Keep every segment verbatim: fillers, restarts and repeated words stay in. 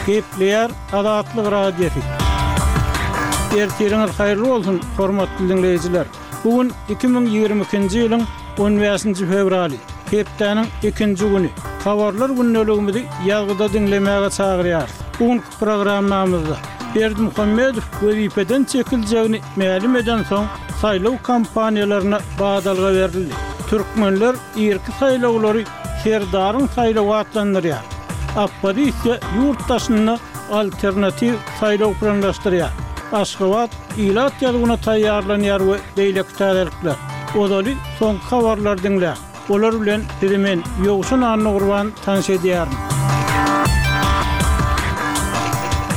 Gepleýär Azatlyk Radiosy. Ertiriňiz haýyrly bolsun, hormatly diňleýjiler. Bu gün iki müň ýigrimi ikinji ýylyň on bäşinji fewraly, hepdäniň ikinji güni. Habarlar gündeligimizi ýazgyda diňlemäge çagyrýarys. Bu günki programmamyzda Berdimuhamedow wezipeden çekiljegini mälim edensoň, saýlaw kampaniýalaryna badalga berildi. Türkmenler irki saýlawlary Serdaryň saýlawy atlandyrýar. Oppozisiýa ýurt daşynda alternatiw saýlaw planlaşdyrýar. Aşgabat ilat ýazuwyna taýýarlanýar we beýleki täzelikler. Ozaly soňky habarlary diňläň. Olar bilen sizi men, Ýowşan Annagurban tanyş edýärin.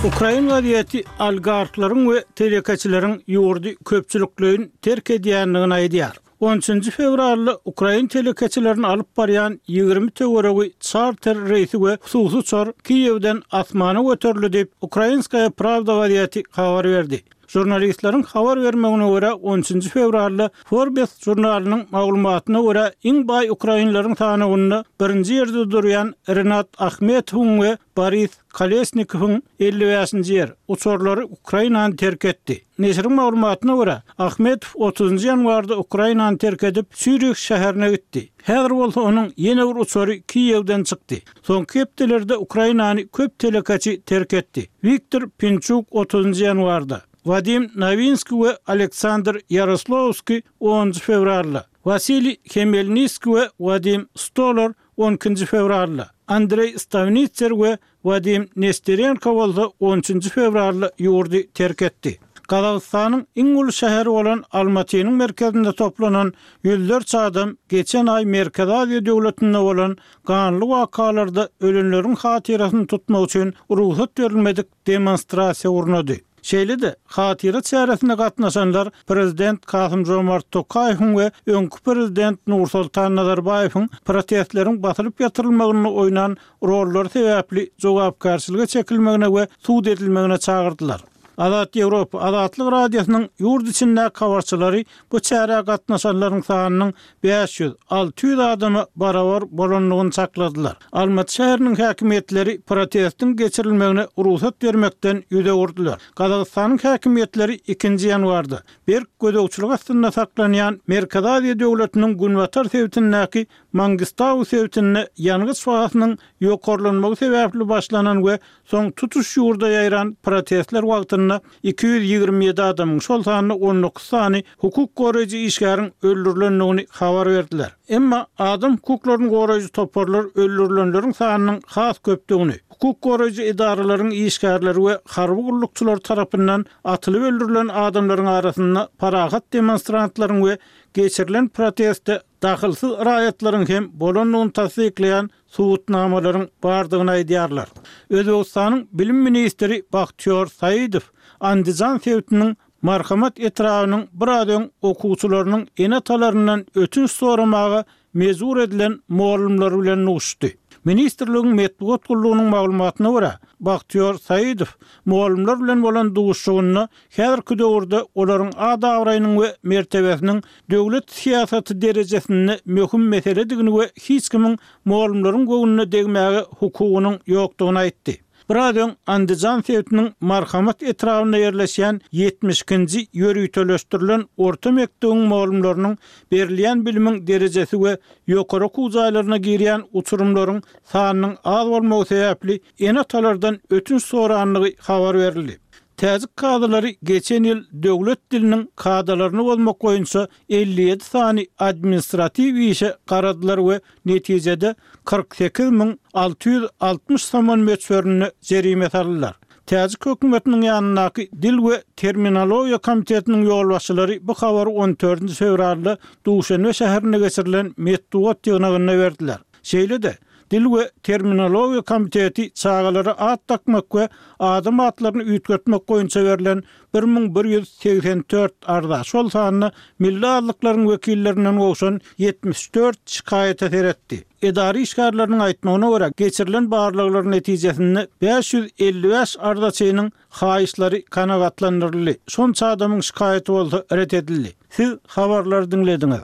Ukrain gazeti oligarhlaryň we telekeçileriň ýurdy köpçülikleýin terk edýändigini aýdýar. On üçünji fewralda ukrain telekeçilerini alyp barýan ýigrimi töweregi çarter reýsi we hususy uçar Kiýewden asmana göterildi diýip, Ukrainskaya Pravda gazeti habar berdi. Žurnalistleriň habar bermegine görä, on üçünji fewralda Forbes žurnalynyň maglumatyna görä, iň baý ukrainleriň sanawynda birinji ýerde durýan Renat Ahmetowyň we Boris Kolesnikowyň elli bäşinji ýer uçarlary Ukrainany terk etdi. Neşiriň maglumatyna görä, Ahmetow otuzynjy ýanwarda Ukrainany terk edip, Sýurih şäherine gitdi. Häzir bolsa onuň ýene bir uçary Kiýewden çykdy. Soňky hepdelerde Ukrainany köp telekeçi terk etdi. Wiktor Pinçuk otuzynjy ýanwarda, Wadim Nowinskiý we Aleksandr Ýaroslawskiý onunjy fewralda, Wasiliý Hemelniskiý we Wadim Stolar on ikinji fewralda, Andreý Stawnitser we Wadim Nesterenko bolsa on üçünji fewralda ýurdy terk etdi. Gazagystanyň iň uly şäheri bolan Almatynyň merkezinde toplanan ýüzlerçe adam geçen aý Merkezi Aziýa döwletinde bolan ganly wakalarda ölenleriň hatyrasyny tutmak üçin rugsat berilmedik demonstrasiýa gurnady. Şeýle-de, hatyra çäresine gatnaşanlar prezident Kasym-Žomart Tokaýewiň we öňki prezident Nursultan Nazarbaýewiň protestleriň basylyp ýatyrylmagynda oýnan rollary sebäpli jogapkärçilige çekilmegine we sud edilmegine çagyrdylar. Azat Ýewropa, Azatlyk Radiosynyň ýurt içindäki habarçylary bu çärä gatnaşanlaryň sanynyň bäş ýüz, alty ýüz adama barabar bolandygyny çakladylar. Almaty şäheriniň häkimiýetleri protestiň geçirilmegine rugsat bermekden ýüz öwürdiler. Gazagystanyň häkimiýetleri ikinji ýanwarda berk gözegçilik astynda saklanýan Merkezi Aziýa döwletiniň günbatar sebitindäki Mangistau sebitinde ýangyç bahasynyň ýokarlanmagy sebäpli başlanan we soň tutuş ýurda ýaýran protestler wagtynda iki ýüz ýigrimi ýedi adamyň, şol sanda on dokuz sany hukuk goraýjy işgäriň öldürilendigini habar berdiler. Emma adam hukuklaryny goraýjy toparlar öldürilenleriň sanynyň has köpdügini, hukuk goraýjy edaralaryň işgärleri we harby gullukçylar tarapyndan atylyp öldürilen adamlaryň arasynda parahat demonstrantlaryň we geçirilen proteste dahylsyz raýatlaryň hem bolandygyny tassyklaýan subutnamalaryň bardygyny aýdýarlar. Özbegistanyň bilim ministri Bahtiýor Saidow Andijan sebitiniň Marhamat etrabynyň biraz öň okuwçylarynyň ene-atalaryndan ötünç soramaga mejbur edilen mugallymlary bilen duşuşdy. Ministrligiň metbugat gullugynyň maglumatyna görä, Bahtiýor Saidow mugallymlar bilen bolan duşuşygynda häzirki döwürde olaryň at-abraýynyň we mertebesiniň döwlet syýasaty derejesinde möhüm meseledigini we hiç kimiň mugallymlaryň göwnüne degmäge hukugynyň ýokdugyny aýtdy. Biraz öň Andijan sebitiniň Marhamat etrabynda ýerleşýän ýetmiş ikinji ýöriteleşdirilen orta mekdebiň mugallymlarynyň berilýän bilimiň derejesi we ýokary okuw jaýlaryna girýän uçurymlaryň sanynyň az bolmagy sebäpli ene-atalardan ötünç sorandygy habar berildi. Täjik kazylary geçen ýyl döwlet diliniň kadalaryny bozmak boýunça elli ýedi sany administratiw işe garadylar we netijede kyrk sekiz müň alty ýüz altmyş somon möçberinde jerime saldylar. Täjik hökümetiniň ýanyndaky Dil we terminologiýa komitetiniň ýolbaşçylary bu habary on dördünji fewralda Duşenbe şäherinde geçirilen metbugat ýygnagynda berdiler. Şeýle-de, Dil we terminologiýa komiteti çagalara at dakmak we adam atlaryny üýtgetmek boýunça berlen bir müň bir ýüz segsen dört arza, şol sanda milli azlyklaryň wekillerinden gowşan ýetmiş dört şikaýata seretdi. Edara işgärleriniň aýtmagyna görä, geçirilen barlaglar netijesinde bäş ýüz elli bäş arzaçynyň haýyşlary kanagatlandyryldy, şonça adamyň şikaýaty bolsa ret edildi. Siz habarlary diňlediňiz.